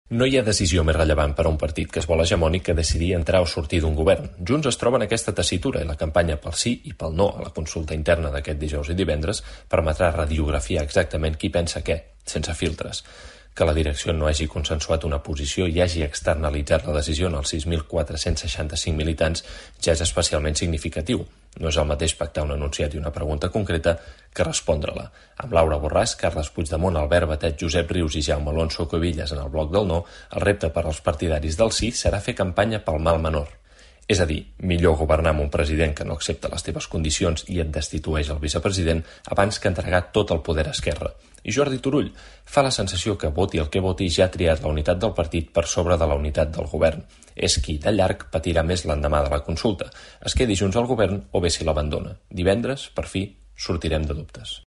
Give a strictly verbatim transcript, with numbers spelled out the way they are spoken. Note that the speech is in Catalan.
No hi ha decisió més rellevant per a un partit que es vol hegemònic que decidir entrar o sortir d'un govern. Junts es troba en aquesta tessitura i la campanya pel sí i pel no a la consulta interna d'aquest dijous i divendres permetrà radiografiar exactament qui pensa què, sense filtres. Que la direcció no hagi consensuat una posició i hagi externalitzat la decisió en els sis mil quatre-cents seixanta-cinc militants ja és especialment significatiu. No és el mateix pactar un enunciat i una pregunta concreta que respondre-la. Amb Laura Borràs, Carles Puigdemont, Albert Batet, Josep Rius i Jaume Alonso Cuevillas en el bloc del no, el repte per als partidaris del sí serà fer campanya pel mal menor. És a dir, millor governar amb un president que no accepta les teves condicions i et destitueix el vicepresident abans que entregar tot el poder a Esquerra. I Jordi Turull fa la sensació que voti el que voti ja ha triat la unitat del partit per sobre de la unitat del govern. És qui, de llarg, patirà més l'endemà de la consulta. Es quedi junts al govern o bé si l'abandona. Divendres, per fi, sortirem de dubtes.